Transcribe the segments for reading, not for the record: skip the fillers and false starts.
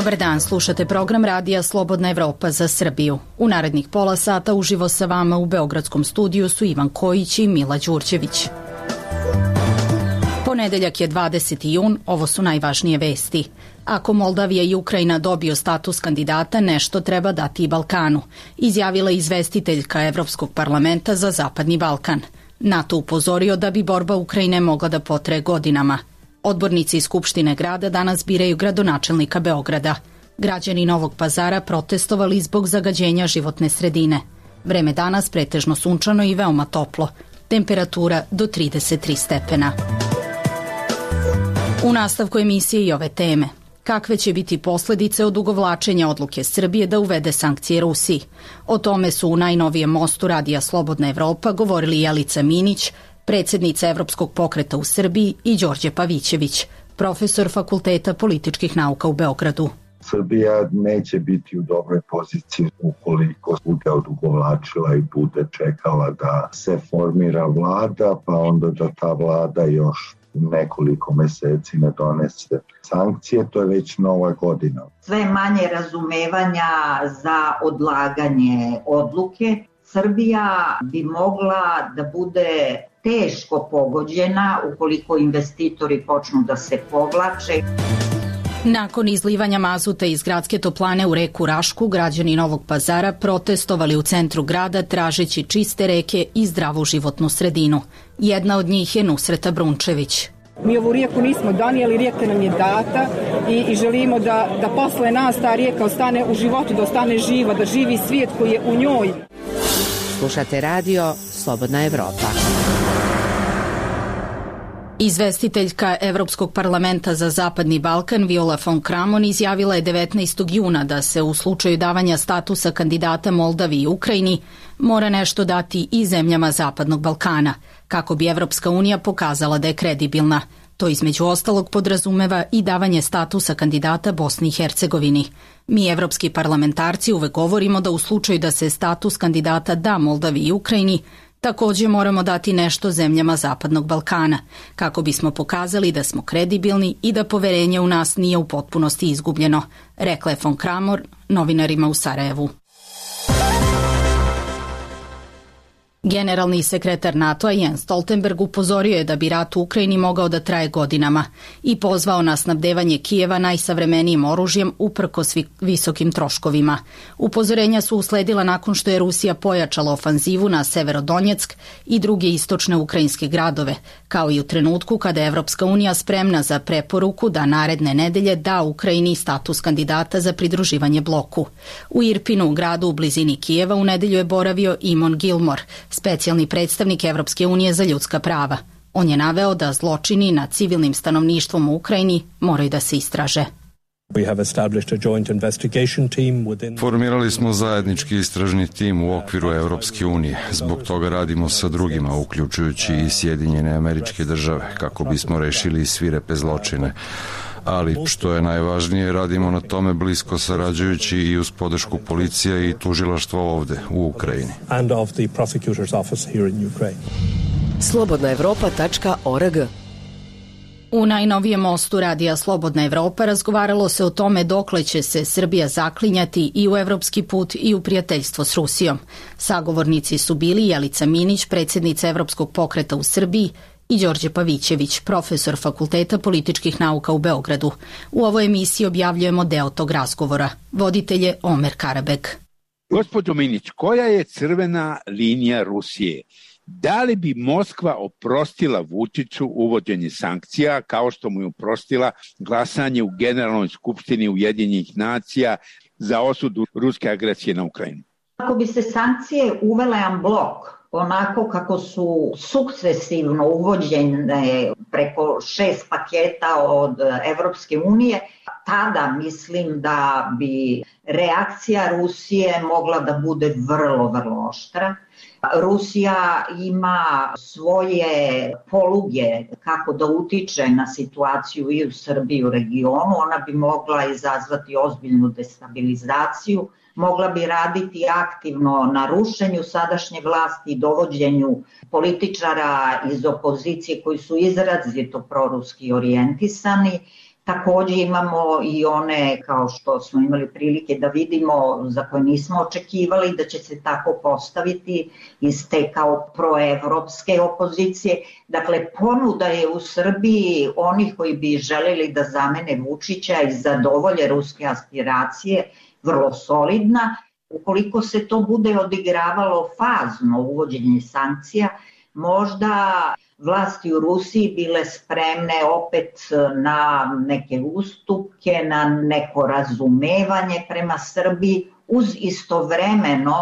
Dobar dan, slušate program Radija Slobodna Evropa za Srbiju. U narednih pola sata uživo sa vama u Beogradskom studiju su Ivan Kojić i Mila Đurđević. Ponedeljak je 20. jun, ovo su najvažnije vesti. Ako Moldavija i Ukrajina dobiju status kandidata, nešto treba dati i Balkanu, izjavila izvestiteljka Evropskog parlamenta za Zapadni Balkan. NATO upozorio da bi borba Ukrajine mogla da potraje godinama. Odbornici iz Skupštine grada danas biraju gradonačelnika Beograda. Građani Novog Pazara protestovali zbog zagađenja životne sredine. Vreme danas pretežno sunčano i veoma toplo. Temperatura do 33 stepena. U nastavku emisije i ove teme. Kakve će biti posledice od ugovlačenja odluke Srbije da uvede sankcije Rusiji? O tome su u najnovijem mostu Radija Slobodna Evropa govorili Jelica Minić, predsjednica Evropskog pokreta u Srbiji, i Đorđe Pavićević, profesor Fakulteta političkih nauka u Beogradu. Srbija neće biti u dobroj poziciji ukoliko bude odugovlačila i bude čekala da se formira vlada, pa onda da ta vlada još nekoliko meseci ne donese sankcije, to je već nova godina. Sve manje razumevanja za odlaganje odluke. Srbija bi mogla da bude teško pogođena ukoliko investitori počnu da se povlače. Nakon izlivanja mazuta iz gradske toplane u reku Rašku, građani Novog Pazara protestovali u centru grada tražeći čiste reke i zdravu životnu sredinu. Jedna od njih je Nusreta Brunčević. Mi ovu rijeku nismo donijeli, rijeka nam je data i želimo da posle nas ta rijeka ostane u životu, da ostane živa, da živi svijet koji je u njoj. Slušate radio Slobodna Evropa. Izvestiteljka Evropskog parlamenta za Zapadni Balkan Viola von Kramon izjavila je 19. juna da se u slučaju davanja statusa kandidata Moldaviji i Ukrajini mora nešto dati i zemljama Zapadnog Balkana, kako bi Evropska unija pokazala da je kredibilna. To između ostalog podrazumeva i davanje statusa kandidata Bosni i Hercegovini. Mi, evropski parlamentarci, uvek govorimo da u slučaju da se status kandidata da Moldaviji i Ukrajini, također moramo dati nešto zemljama Zapadnog Balkana, kako bismo pokazali da smo kredibilni i da poverenje u nas nije u potpunosti izgubljeno, rekla je von Kramon novinarima u Sarajevu. Generalni sekretar NATO-a Jens Stoltenberg upozorio je da bi rat u Ukrajini mogao da traje godinama i pozvao na snabdevanje Kijeva najsavremenijim oružjem uprkos visokim troškovima. Upozorenja su usledila nakon što je Rusija pojačala ofanzivu na Severodonjeck i druge istočne ukrajinske gradove, kao i u trenutku kada je Evropska unija spremna za preporuku da naredne nedelje da Ukrajini status kandidata za pridruživanje bloku. U Irpinu, gradu u blizini Kijeva, u nedelju je boravio Eamon Gilmore, specijalni predstavnik Evropske unije za ljudska prava. On je naveo da zločini nad civilnim stanovništvom u Ukrajini moraju da se istraže. Formirali smo zajednički istražni tim u okviru Evropske unije. Zbog toga radimo sa drugima, uključujući i Sjedinjene Američke Države, kako bismo rešili svirepe zločine. Ali, što je najvažnije, radimo na tome blisko sarađujući i uz podršku policije i tužilaštva ovde, u Ukrajini. slobodnaevropa.org. U najnovijem mostu Radija Slobodna Evropa razgovaralo se o tome dokle će se Srbija zaklinjati i u evropski put i u prijateljstvo s Rusijom. Sagovornici su bili Jelica Minić, predsjednica Evropskog pokreta u Srbiji, i Đorđe Pavićević, profesor Fakulteta političkih nauka u Beogradu. U ovoj emisiji objavljujemo deo tog razgovora. Voditelj je Omer Karabek. Gospođo Minić, koja je crvena linija Rusije? Da li bi Moskva oprostila Vučiću uvođenje sankcija, kao što mu je oprostila glasanje u Generalnoj skupštini Ujedinjenih nacija za osudu ruske agresije na Ukrajinu? Ako bi se sankcije uvele en blok, onako kako su sukcesivno uvođene preko 6 paketa od Evropske unije, tada mislim da bi reakcija Rusije mogla da bude vrlo, vrlo oštra. Rusija ima svoje poluge kako da utiče na situaciju i u Srbiji i u regionu. Ona bi mogla izazvati ozbiljnu destabilizaciju, mogla bi raditi aktivno na rušenju sadašnje vlasti i dovođenju političara iz opozicije koji su izrazito proruski orijentisani. Takođe imamo i one, kao što smo imali prilike da vidimo, za koje nismo očekivali da će se tako postaviti iz te kao proevropske opozicije. Dakle, ponuda je u Srbiji onih koji bi želeli da zamene Vučića i zadovolje ruske aspiracije vrlo solidna. Ukoliko se to bude odigravalo fazno uvođenje sankcija, možda vlasti u Rusiji bile spremne opet na neke ustupke, na neko razumevanje prema Srbiji, uz istovremeno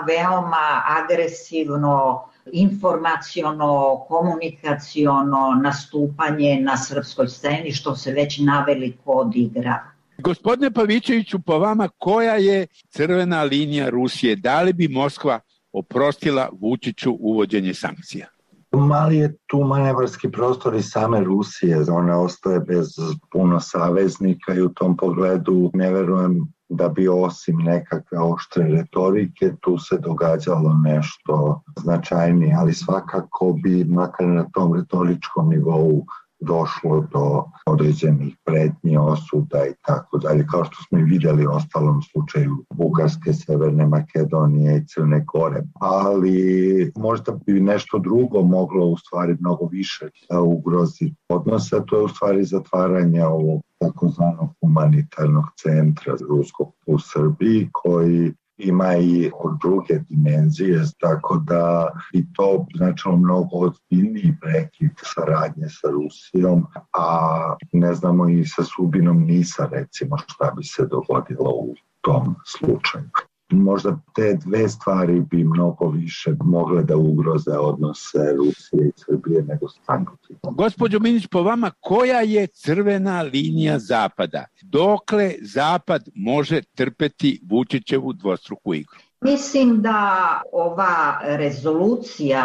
veoma agresivno, informaciono, komunikaciono nastupanje na srpskoj sceni, što se već naveliko odigrava. Gospodine Pavićeviću, po vama koja je crvena linija Rusije? Da li bi Moskva oprostila Vučiću uvođenje sankcija? Mali je tu manevarski prostor i same Rusije, ona ostaje bez puno saveznika i u tom pogledu ne verujem da bi osim nekakve oštre retorike tu se događalo nešto značajnije, ali svakako bi makar na tom retoričkom nivou došlo do određenih pretnji, osuda i tako dalje, kao što smo i vidjeli u ostalom slučaju Bugarske, Severne Makedonije i Crne Gore. Ali možda bi nešto drugo moglo u stvari mnogo više ugroziti odnose, to je u stvari zatvaranje ovog takozvanog humanitarnog centra ruskog u Srbiji, koji ima i druge dimenzije, tako da bi to značilo mnogo ozbiljniji prekid saradnje sa Rusijom, a ne znamo i sa sudbinom NIS-a recimo šta bi se dogodilo u tom slučaju. Možda te dve stvari bi mnogo više mogle da ugroze odnose Rusije i Srbije nego sankcije. Gospođo Minić, po vama koja je crvena linija Zapada? Dokle Zapad može trpeti Vučićevu dvostruku igru? Mislim da ova rezolucija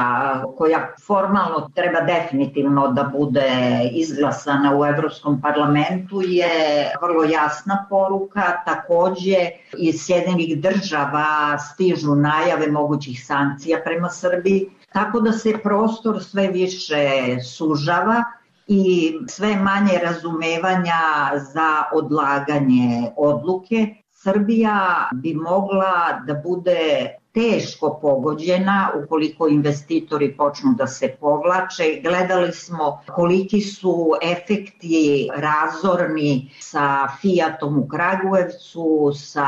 koja formalno treba definitivno da bude izglasana u Evropskom parlamentu je vrlo jasna poruka. Takođe iz Sjedinjenih država stižu najave mogućih sankcija prema Srbiji, tako da se prostor sve više sužava i sve manje razumevanja za odlaganje odluke. Srbija bi mogla da bude teško pogođena ukoliko investitori počnu da se povlače. Gledali smo koliki su efekti razorni sa Fiatom u Kragujevcu, sa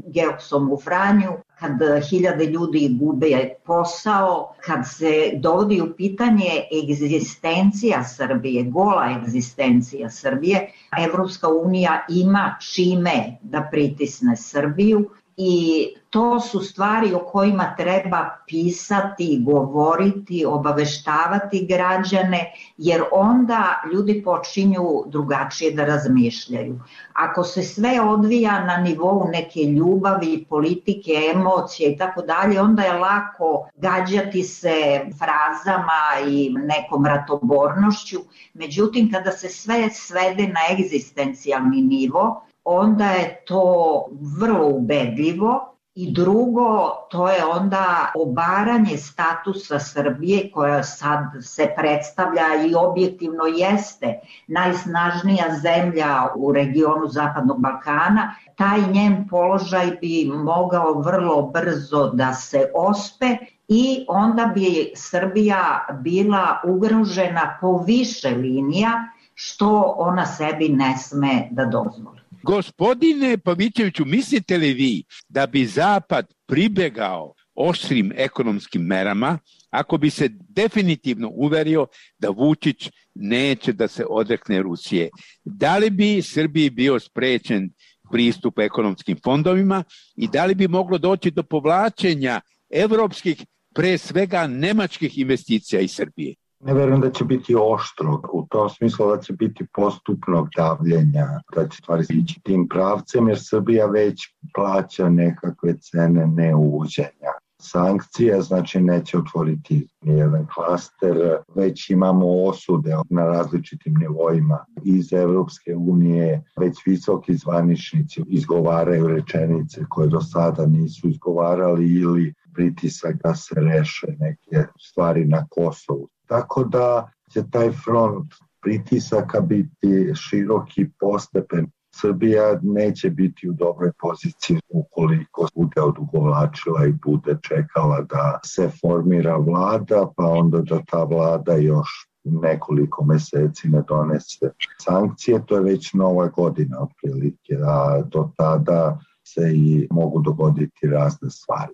Geoksom u Vranju, kad hiljade ljudi gube posao, kad se dovodi u pitanje egzistencija Srbije, gola egzistencija Srbije, Evropska unija ima čime da pritisne Srbiju i to su stvari o kojima treba pisati, govoriti, obaveštavati građane, jer onda ljudi počinju drugačije da razmišljaju. Ako se sve odvija na nivou neke ljubavi, politike, emocije i tako dalje, onda je lako gađati se frazama i nekom ratobornošću. Međutim, kada se sve svede na egzistencijalni nivo, onda je to vrlo ubedljivo. I drugo, to je onda obaranje statusa Srbije koja sad se predstavlja i objektivno jeste najsnažnija zemlja u regionu Zapadnog Balkana. Taj njen položaj bi mogao vrlo brzo da se ospe i onda bi Srbija bila ugrožena po više linija, što ona sebi ne sme da dozvoli. Gospodine Pavićeviću, mislite li vi da bi Zapad pribegao oštrim ekonomskim merama ako bi se definitivno uverio da Vučić neće da se odrekne Rusije? Da li bi Srbiji bio sprečen pristup ekonomskim fondovima i da li bi moglo doći do povlačenja evropskih, pre svega nemačkih investicija iz Srbije? Ne verujem da će biti oštro, u tom smislu da će biti postupnog davljenja, da će stvari ići tim pravcem, jer Srbija već plaća nekakve cene neuvođenja sankcija, znači neće otvoriti nijedan klaster, već imamo osude na različitim nivoima iz Evropske unije, već visoki zvaničnici izgovaraju rečenice koje do sada nisu izgovarali ili pritisak da se reše neke stvari na Kosovu. Tako da će taj front pritisaka biti široki postepen. Srbija neće biti u dobroj poziciji ukoliko bude odugovlačila i bude čekala da se formira vlada, pa onda da ta vlada još nekoliko meseci ne donese sankcije. To je već nova godina otprilike, a do tada se i mogu dogoditi razne stvari.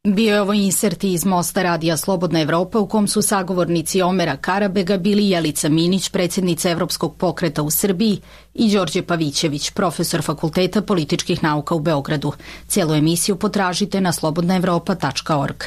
Bio je ovo insert iz Mosta radija Slobodna Evropa u kom su sagovornici Omera Karabega bili Jelica Minić, predsjednica Evropskog pokreta u Srbiji, i Đorđe Pavićević, profesor Fakulteta političkih nauka u Beogradu. Cijelu emisiju potražite na slobodnaevropa.org.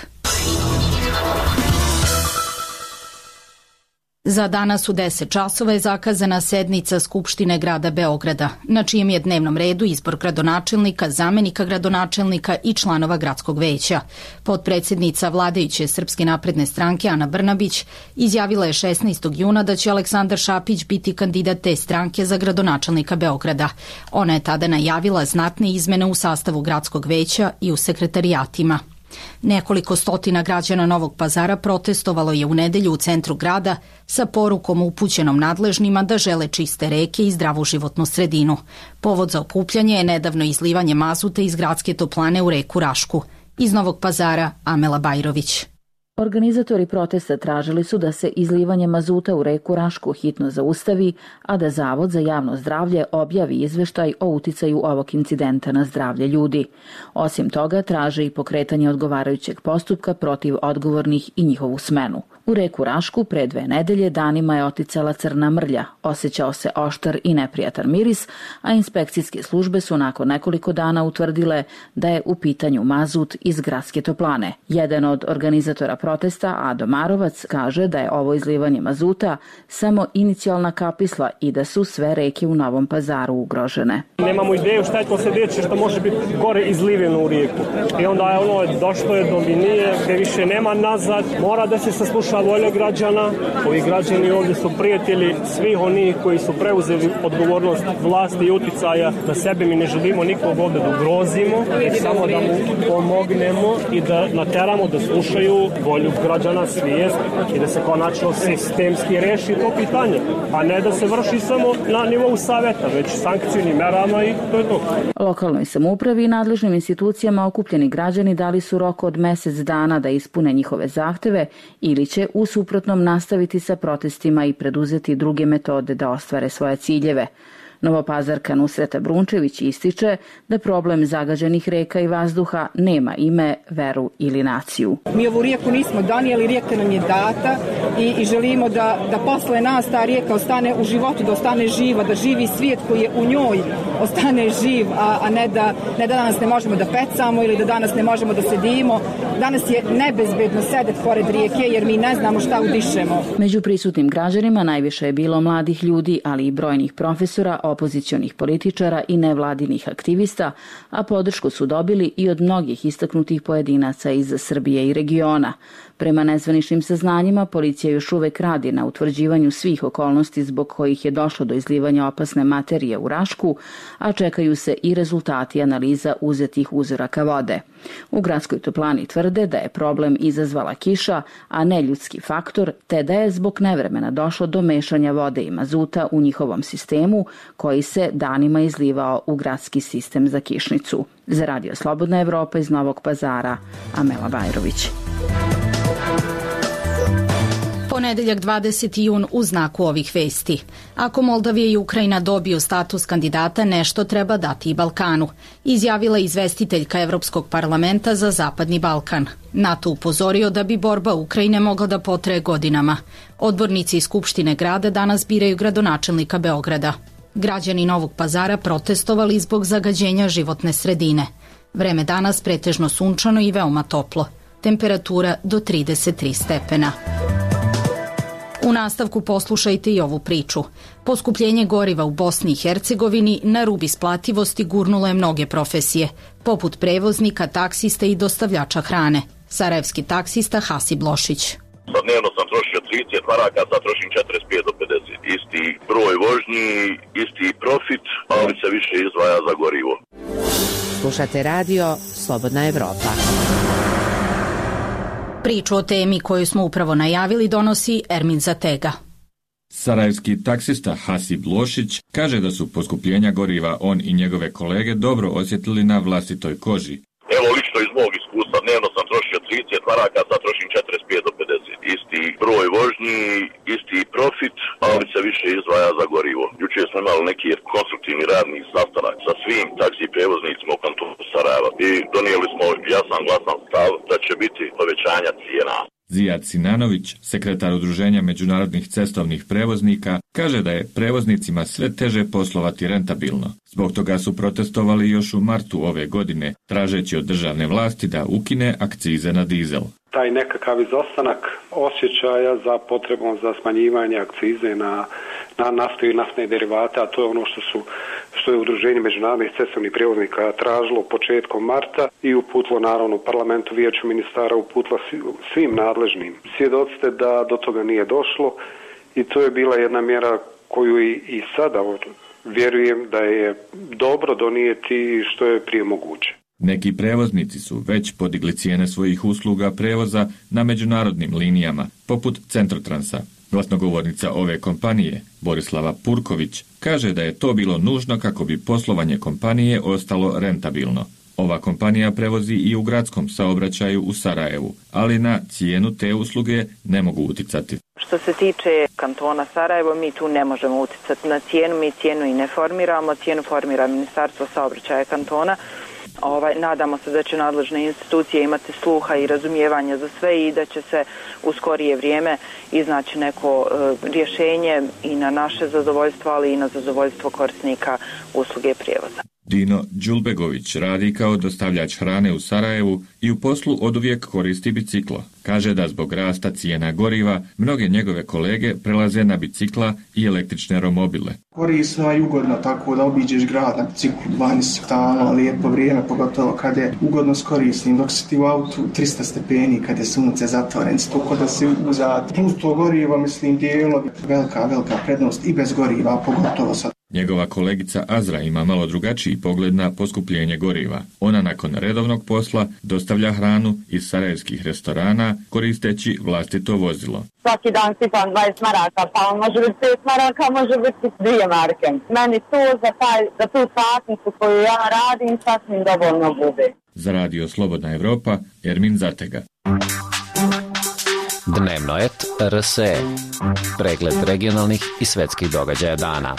Za danas u 10 časova je zakazana sednica Skupštine grada Beograda, na čijem je dnevnom redu izbor gradonačelnika, zamenika gradonačelnika i članova gradskog veća. Potpredsjednica vladajuće Srpske napredne stranke Ana Brnabić izjavila je 16. juna da će Aleksandar Šapić biti kandidat te stranke za gradonačelnika Beograda. Ona je tada najavila znatne izmene u sastavu gradskog veća i u sekretarijatima. Nekoliko stotina građana Novog Pazara protestovalo je u nedelju u centru grada sa porukom upućenom nadležnima da žele čiste reke i zdravu životnu sredinu. Povod za okupljanje je nedavno izlivanje mazuta iz gradske toplane u reku Rašku. Iz Novog Pazara, Amela Bajrović. Organizatori protesta tražili su da se izlivanje mazuta u reku Rašku hitno zaustavi, a da Zavod za javno zdravlje objavi izveštaj o uticaju ovog incidenta na zdravlje ljudi. Osim toga, traže i pokretanje odgovarajućeg postupka protiv odgovornih i njihovu smenu. U reku Rašku pre 2 nedelje danima je oticala crna mrlja, osjećao se oštar i neprijatan miris, a inspekcijske službe su nakon nekoliko dana utvrdile da je u pitanju mazut iz gradske toplane. Jedan od organizatora protesta, Ado Marovac, kaže da je ovo izlivanje mazuta samo inicijalna kapisla i da su sve reke u Novom Pazaru ugrožene. Nemamo ideju šta je to sljedeće što može biti gore izliveno u rijeku. I onda je došlo je do linije gdje više nema nazad, mora da se sasluša volja građana. Ovi građani ovdje su prijatelji svih onih koji su preuzeli odgovornost vlasti i uticaja na sebe. Mi ne želimo nikog ovdje da ugrozimo, samo da mu pomognemo i da nateramo da slušaju volju građana, svijest i da se konačno sistemski reši to pitanje, a ne da se vrši samo na nivou savjeta, već sankcijnim merama i to je to. Lokalnoj samoupravi i nadležnim institucijama okupljeni građani dali su rok od mjesec dana da ispune njihove zahteve ili će u suprotnom nastaviti sa protestima i preduzeti druge metode da ostvare svoje ciljeve. Novopazarka Nusreta Brunčević ističe da problem zagađenih reka i vazduha nema ime, veru ili naciju. Mi ovu rijeku nismo donijeli, rijeka nam je data i želimo da posle nas ta rijeka ostane u životu, da ostane živa, da živi svijet koji je u njoj ostane živ, a ne da danas ne možemo da pecamo ili da danas ne možemo da sedimo. Danas je nebezbedno sedeti pored rijeke jer mi ne znamo šta udišemo. Među prisutnim građanima najviše je bilo mladih ljudi, ali i brojnih profesora, opozicionih političara i nevladinih aktivista, a podršku su dobili i od mnogih istaknutih pojedinaca iz Srbije i regiona. Prema nezvaničnim saznanjima, policija još uvek radi na utvrđivanju svih okolnosti zbog kojih je došlo do izlivanja opasne materije u Rašku, a čekaju se i rezultati analiza uzetih uzoraka vode. U gradskoj toplani tvrde da je problem izazvala kiša, a ne ljudski faktor, te da je zbog nevremena došlo do mešanja vode i mazuta u njihovom sistemu, koji se danima izlivao u gradski sistem za kišnicu. Za Radio Slobodna Evropa iz Novog Pazara, Amela Bajrović. Ponedeljak 20. jun u znaku ovih vesti. Ako Moldavija i Ukrajina dobiju status kandidata, nešto treba dati i Balkanu, izjavila izvestiteljka Evropskog parlamenta za Zapadni Balkan. NATO upozorio da bi borba Ukrajine mogla da potraje godinama. Odbornici iz Skupštine grada danas biraju gradonačelnika Beograda. Građani Novog Pazara protestovali zbog zagađenja životne sredine. Vreme danas pretežno sunčano i veoma toplo. Temperatura do 33 stepena. U nastavku poslušajte i ovu priču. Poskupljenje goriva u Bosni i Hercegovini na rub isplativosti gurnulo je mnoge profesije, poput prevoznika, taksista i dostavljača hrane. Sarajevski taksista Hasib Lošić. Dnevno sam trošio 30 maraka, sad trošim 45 do 50. Isti broj vožnji, isti profit, ali se više izdvaja za gorivo. Slušate radio Slobodna Evropa. Priču o temi koju smo upravo najavili donosi Ermin Zatega. Sarajevski taksista Hasib Lošić kaže da su poskupljenja goriva on i njegove kolege dobro osjetili na vlastitoj koži. Evo, lično iz mog iskustva, dnevno sam trošio 30 maraka, sad trošim 45 do 50. Isti broj vožnji, isti profit, ali se više izdvaja za gorivo. Jučer smo imali neki konstruktivni radni sastanak sa svim taksi prevoznicima u kantonu Sarajeva i donijeli smo jasan glasan stav da će biti povećanja cijena. Zijad Sinanović, sekretar Udruženja međunarodnih cestovnih prevoznika, kaže da je prevoznicima sve teže poslovati rentabilno. Zbog toga su protestovali još u martu ove godine, tražeći od državne vlasti da ukine akcize na dizel. Taj nekakav izostanak osjećaja za potrebom za smanjivanje akcize na naftu i naftne derivate, a to je ono što je Udruženje međunarodnih cestovnih prijevoznika tražilo početkom marta i uputilo naravno parlamentu, vijeću ministara, uputilo svim nadležnim. Svjedoci ste da do toga nije došlo i to je bila jedna mjera koju i sada vjerujem da je dobro donijeti što je prije moguće. Neki prevoznici su već podigli cijene svojih usluga prevoza na međunarodnim linijama, poput Centrotransa. Glasnogovornica ove kompanije, Borislava Purković, kaže da je to bilo nužno kako bi poslovanje kompanije ostalo rentabilno. Ova kompanija prevozi i u gradskom saobraćaju u Sarajevu, ali na cijenu te usluge ne mogu uticati. Što se tiče kantona Sarajevo, mi tu ne možemo uticati na cijenu, mi cijenu i ne formiramo, cijenu formira Ministarstvo saobraćaja kantona. Nadamo se da će nadležne institucije imati sluha i razumijevanja za sve i da će se u skorije vrijeme iznaći neko rješenje i na naše zadovoljstvo, ali i na zadovoljstvo korisnika usluge prijevoza. Dino Đulbegović radi kao dostavljač hrane u Sarajevu i u poslu oduvijek koristi biciklo. Kaže da zbog rasta cijena goriva mnoge njegove kolege prelaze na bicikla i električne romobile. Korisno i ugodno tako da obiđeš grad na biciklu, vani se stalno, lijepo vrijeme, pogotovo kad je ugodno s korisnim, dok si ti u autu 300 stepeni, kad je sunce zatvoren, stoko da si uzad. Plus to gorivo, mislim, dijelovi, velika prednost i bez goriva, pogotovo sad. Njegova kolegica Azra ima malo drugačiji pogled na poskupljenje goriva. Ona nakon redovnog posla dostavlja hranu iz sarajevskih restorana koristeći vlastito vozilo. Svaki dan sipam 20 maraka, pa on može biti 5 maraka, može biti 2 marke. Meni to za tu satnicu koju ja radim sasvim dovoljno bude. Za Radio Slobodna Evropa, Ermin Zatega. Dnevnoet RSE. Pregled regionalnih i svetskih događaja dana.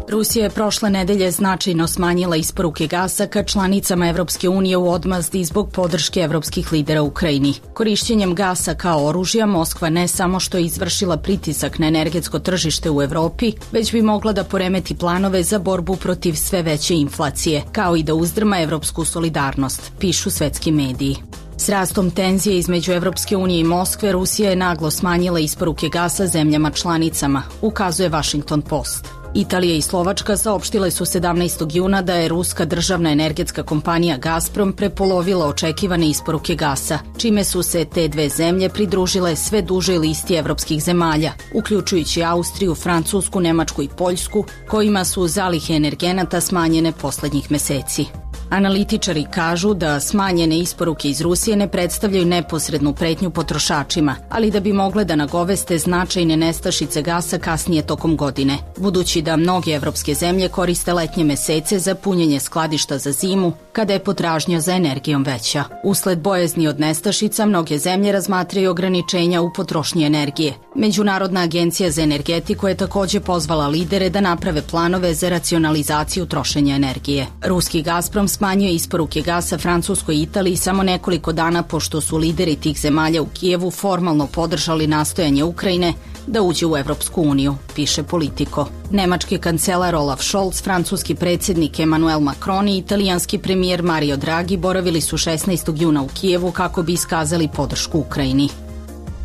Rusija je prošle nedelje značajno smanjila isporuke gasa ka članicama Evropske unije u odmazdi zbog podrške evropskih lidera Ukrajini. Korišćenjem gasa kao oružja, Moskva ne samo što je izvršila pritisak na energetsko tržište u Evropi, već bi mogla da poremeti planove za borbu protiv sve veće inflacije, kao i da uzdrma evropsku solidarnost, pišu svetski mediji. S rastom tenzije između Evropske unije i Moskve, Rusija je naglo smanjila isporuke gasa zemljama članicama, ukazuje Washington Post. Italija i Slovačka saopštile su 17. juna da je ruska državna energetska kompanija Gazprom prepolovila očekivane isporuke gasa, čime su se te dve zemlje pridružile sve dužoj listi evropskih zemalja, uključujući Austriju, Francusku, Nemačku i Poljsku, kojima su zalihe energenata smanjene poslednjih meseci. Analitičari kažu da smanjene isporuke iz Rusije ne predstavljaju neposrednu pretnju potrošačima, ali da bi mogle da nagoveste značajne nestašice gasa kasnije tokom godine, budući da mnoge evropske zemlje koriste letnje mesece za punjenje skladišta za zimu, kada je potražnja za energijom veća. Usled bojazni od nestašica, mnoge zemlje razmatraju ograničenja u potrošnji energije. Međunarodna agencija za energetiku je takođe pozvala lidere da naprave planove za racionalizaciju trošenja energije. Ruski Gazprom smanjuje isporuke gasa Francuskoj i Italiji samo nekoliko dana pošto su lideri tih zemalja u Kijevu formalno podržali nastojanje Ukrajine da uđe u Evropsku uniju, piše Politico. Nemački kancelar Olaf Scholz, francuski predsjednik Emmanuel Macron i italijanski premijer Mario Draghi boravili su 16. juna u Kijevu kako bi iskazali podršku Ukrajini.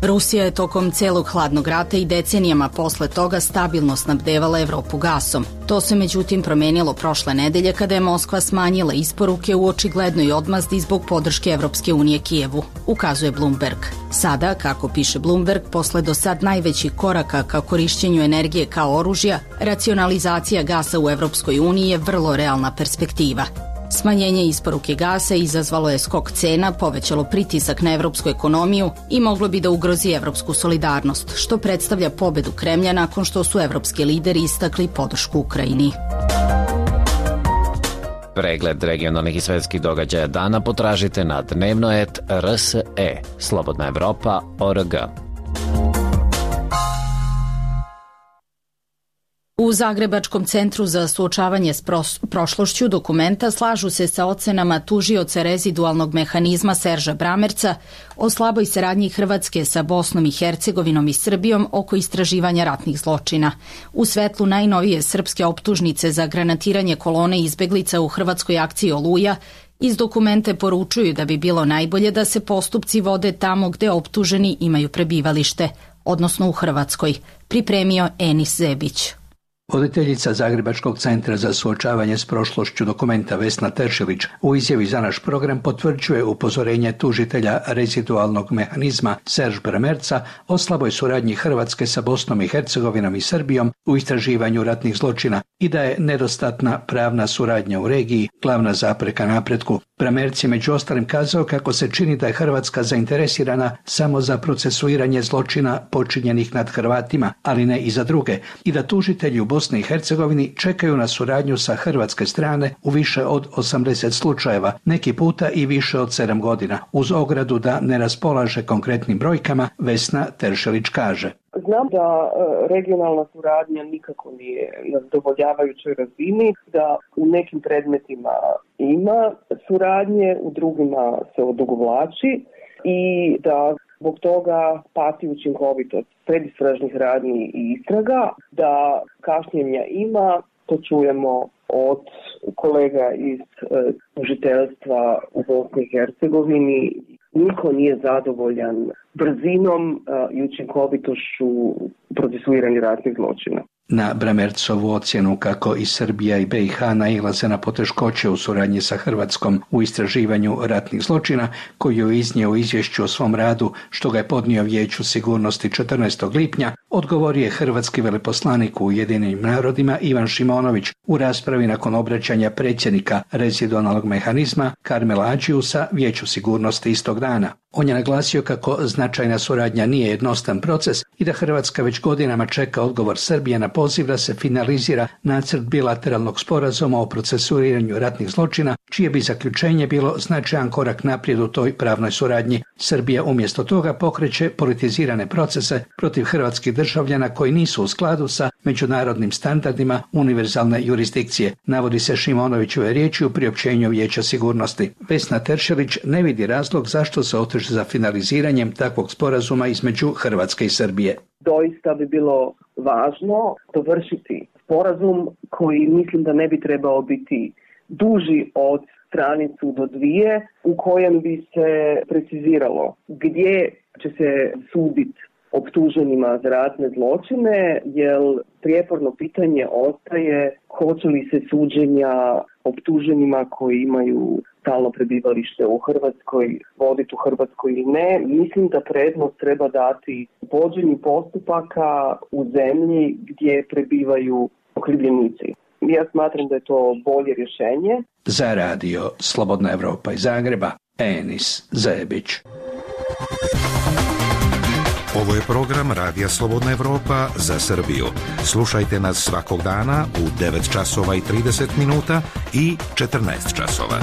Rusija je tokom celog hladnog rata i decenijama posle toga stabilno snabdevala Evropu gasom. To se međutim promenilo prošle nedelje kada je Moskva smanjila isporuke u očiglednoj odmazdi zbog podrške Evropske unije Kijevu, ukazuje Bloomberg. Sada, kako piše Bloomberg, posle do sad najvećih koraka ka korišćenju energije kao oružja, racionalizacija gasa u Evropskoj uniji je vrlo realna perspektiva. Smanjenje isporuke gasa izazvalo je skok cena, povećalo pritisak na evropsku ekonomiju i moglo bi da ugrozi evropsku solidarnost, što predstavlja pobedu Kremlja nakon što su evropski lideri istakli podršku Ukrajini. Pregled regionalnih i svetskih događaja dana potražite na dnevnoet.rse, slobodnaevropa.org. U Zagrebačkom centru za suočavanje s prošlošću dokumenta slažu se sa ocenama tužioca rezidualnog mehanizma Serža Bramerca o slaboj saradnji Hrvatske sa Bosnom i Hercegovinom i Srbijom oko istraživanja ratnih zločina. U svetlu najnovije srpske optužnice za granatiranje kolone izbeglica u hrvatskoj akciji Oluja, iz dokumente poručuju da bi bilo najbolje da se postupci vode tamo gde optuženi imaju prebivalište, odnosno u Hrvatskoj, pripremio Enis Zebić. Voditeljica Zagrebačkog centra za suočavanje s prošlošću dokumenta Vesna Teršelić u izjavi za naš program potvrđuje upozorenje tužitelja rezidualnog mehanizma Serž Bramerca o slaboj suradnji Hrvatske sa Bosnom i Hercegovinom i Srbijom u istraživanju ratnih zločina i da je nedostatna pravna suradnja u regiji glavna zapreka napretku. Bramerc je među ostalim kazao kako se čini da je Hrvatska zainteresirana samo za procesuiranje zločina počinjenih nad Hrvatima, ali ne i za druge, i da tužitelji u Bosni i Hercegovini čekaju na suradnju sa hrvatske strane u više od 80 slučajeva, neki puta i više od 7 godina. Uz ogradu da ne raspolaže konkretnim brojkama, Vesna Teršelić kaže: Znam da regionalna suradnja nikako nije na zadovoljavajućoj razini, da u nekim predmetima ima suradnje, u drugima se odugovlači i da zbog toga pati učinkovitost predistražnih radnji i istraga, da kašnjenja ima, to čujemo od kolega iz tužiteljstva u Bosni i Hercegovini. Niko nije zadovoljan brzinom i učinkovitošću procesuiranja ratnih zločina. Na Bramercovu ocjenu kako i Srbija i BiH nailaze na poteškoće u suradnji sa Hrvatskom u istraživanju ratnih zločina, koju je iznio u izvješću o svom radu, što ga je podnio Vijeću sigurnosti 14. lipnja, odgovorio je hrvatski veleposlanik u Ujedinjenim narodima Ivan Šimonović u raspravi nakon obraćanja predsjednika rezidualnog mehanizma Karmela Adžiusa Vijeću sigurnosti istog dana. On je naglasio kako značajna suradnja nije jednostavan proces i da Hrvatska već godinama čeka odgovor Srbije na poziv da se finalizira nacrt bilateralnog sporazuma o procesuiranju ratnih zločina, čije bi zaključenje bilo značajan korak naprijed u toj pravnoj suradnji. Srbija umjesto toga pokreće politizirane procese protiv hrvatskih državljana koji nisu u skladu sa međunarodnim standardima univerzalne jurisdikcije, navodi se Šimonovićeve riječi u priopćenju Vijeća sigurnosti. Vesna Teršelić ne vidi razlog zašto se oteže za finaliziranjem takvog sporazuma između Hrvatske i Srbije. Doista bi bilo važno dovršiti sporazum koji mislim da ne bi trebao biti duži od stranicu do dvije, u kojem bi se preciziralo gdje će se suditi optuženima za ratne zločine, jer prijeporno pitanje ostaje hoće li se suđenja optuženima koji imaju stalno prebivalište u Hrvatskoj voditi u Hrvatskoj ili ne. Mislim da prednost treba dati vođenju postupaka u zemlji gdje prebivaju okrivljenici. Ja smatram da je to bolje rješenje. Za radio Slobodna Evropa iz Zagreba, Enis Zebić. Ovo je program Radija Slobodna Evropa za Srbiju. Slušajte nas svakog dana u 9 časova i 30 minuta i 14 časova.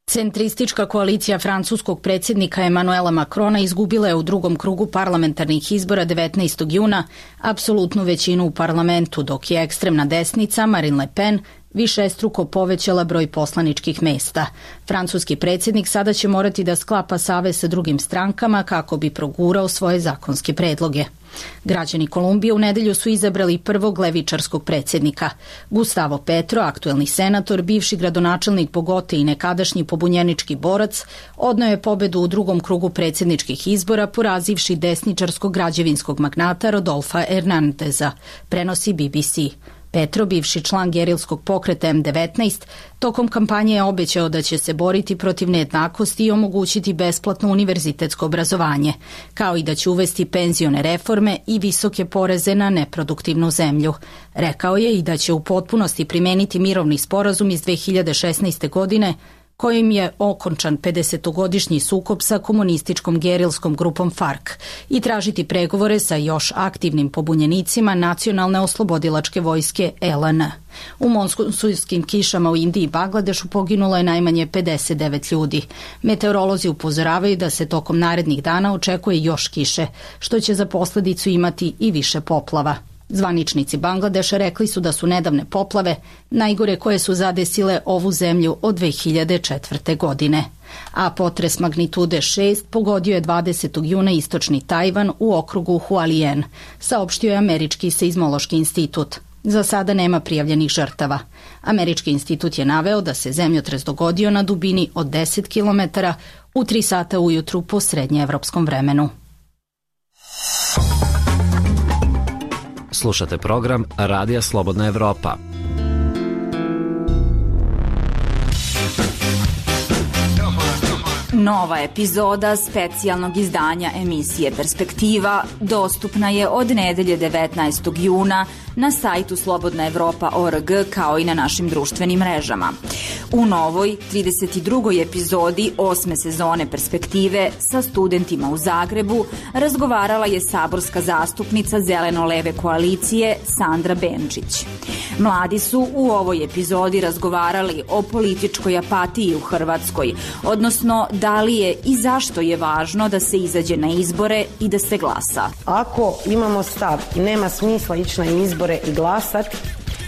Centristička koalicija francuskog predsjednika Emanuela Macrona izgubila je u drugom krugu parlamentarnih izbora 19. juna apsolutnu većinu u parlamentu, dok je ekstremna desnica Marine Le Pen višestruko povećala broj poslaničkih mesta. Francuski predsjednik sada će morati da sklapa savez sa drugim strankama kako bi progurao svoje zakonske predloge. Građani Kolumbije u nedelju su izabrali prvog levičarskog predsjednika. Gustavo Petro, aktuelni senator, bivši gradonačelnik Bogote i nekadašnji pobunjenički borac, odneo je pobedu u drugom krugu predsjedničkih izbora porazivši desničarskog građevinskog magnata Rodolfa Hernandeza, prenosi BBC. Petro, bivši član gerilskog pokreta M19, tokom kampanje je obećao da će se boriti protiv nejednakosti i omogućiti besplatno univerzitetsko obrazovanje, kao i da će uvesti penzione reforme i visoke poreze na neproduktivnu zemlju. Rekao je i da će u potpunosti primeniti mirovni sporazum iz 2016. godine, kojim je okončan 50-godišnji sukob sa komunističkom gerilskom grupom FARC i tražiti pregovore sa još aktivnim pobunjenicima Nacionalne oslobodilačke vojske LN. U monsunskim kišama u Indiji i Bangladešu poginulo je najmanje 59 ljudi. Meteorolozi upozoravaju da se tokom narednih dana očekuje još kiše, što će za posledicu imati i više poplava. Zvaničnici Bangladeša rekli su da su nedavne poplave najgore koje su zadesile ovu zemlju od 2004. godine. A potres magnitude 6 pogodio je 20. juna istočni Tajvan u okrugu Hualien, saopštio je Američki seizmološki institut. Za sada nema prijavljenih žrtava. Američki institut je naveo da se zemljotres dogodio na dubini od 10 km u 3 sata ujutru po srednjeevropskom vremenu. Slušate program Radija Slobodna Evropa. Nova epizoda specijalnog izdanja emisije Perspektiva dostupna je od nedelje 19. juna na sajtu slobodnaevropa.org kao i na našim društvenim mrežama. U novoj 32. epizodi 8. sezone Perspektive sa studentima u Zagrebu razgovarala je saborska zastupnica Zeleno-leve koalicije Sandra Benčić. Mladi su u ovoj epizodi razgovarali o političkoj apatiji u Hrvatskoj, odnosno da li je i zašto je važno da se izađe na izbore i da se glasa. Ako imamo stav i nema smisla ići na izbore i glasati,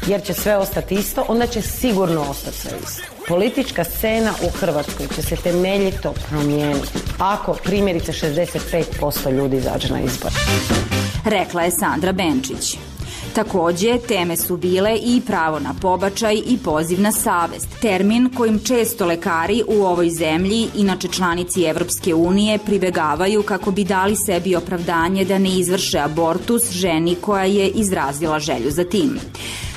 jer će sve ostati isto, onda će sigurno ostati sve isto. Politička scena u Hrvatskoj će se temeljito promijeniti ako primjerice 65% ljudi izađe na izbore. Rekla je Sandra Benčić. Takođe, teme su bile i pravo na pobačaj i poziv na savest, termin kojim često lekari u ovoj zemlji, inače članici Evropske unije, pribegavaju kako bi dali sebi opravdanje da ne izvrše abortus ženi koja je izrazila želju za tim.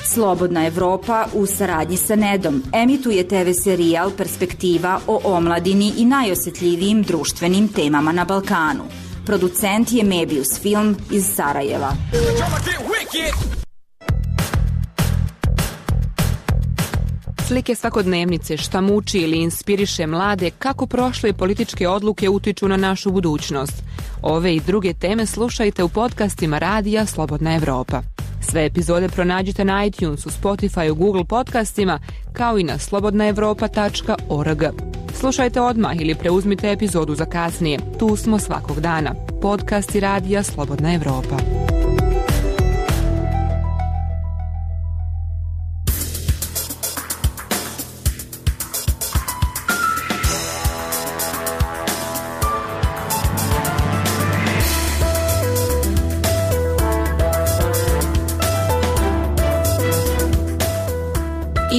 Slobodna Evropa u saradnji sa Nedom emituje TV serijal Perspektiva o omladini i najosjetljivijim društvenim temama na Balkanu. Producent je Mebius Film iz Sarajeva. Slike svakodnevnice šta muči ili inspiriše mlade kako prošle političke odluke utiču na našu budućnost. Ove i druge teme slušajte u podcastima Radija Slobodna Evropa. Sve epizode pronađite na iTunesu, Spotifyu, Google podcastima kao i na slobodnaevropa.org. Slušajte odmah ili preuzmite epizodu za kasnije. Tu smo svakog dana. Podcasti Radija Slobodna Evropa.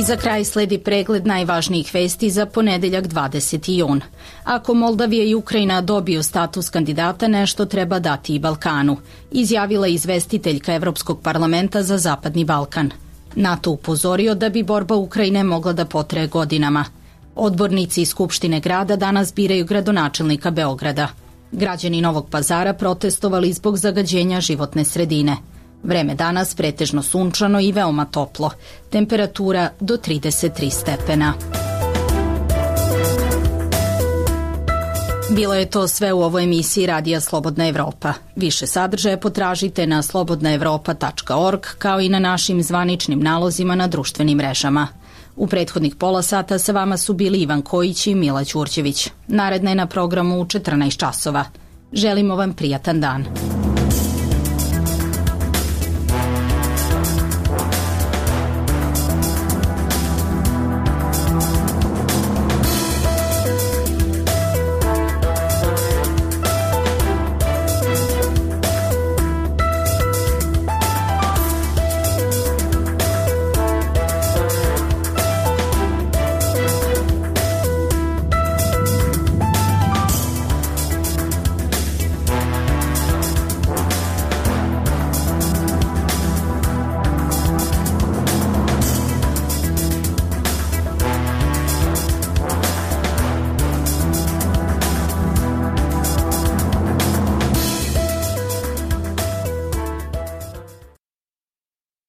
I za kraj sledi pregled najvažnijih vesti za ponedeljak 20. jun. Ako Moldavija i Ukrajina dobiju status kandidata, nešto treba dati i Balkanu, izjavila izvestiteljka Evropskog parlamenta za Zapadni Balkan. NATO upozorio da bi borba Ukrajine mogla da potraje godinama. Odbornici iz Skupštine grada danas biraju gradonačelnika Beograda. Građani Novog Pazara protestovali zbog zagađenja životne sredine. Vreme danas pretežno sunčano i veoma toplo. Temperatura do 33 stepena. Bilo je to sve u ovoj emisiji Radija Slobodna Evropa. Više sadržaja potražite na slobodnaevropa.org kao i na našim zvaničnim nalozima na društvenim mrežama. U prethodnih pola sata sa vama su bili Ivan Kojić i Mila Ćurćević. Naredna je na programu u 14 časova. Želimo vam prijatan dan.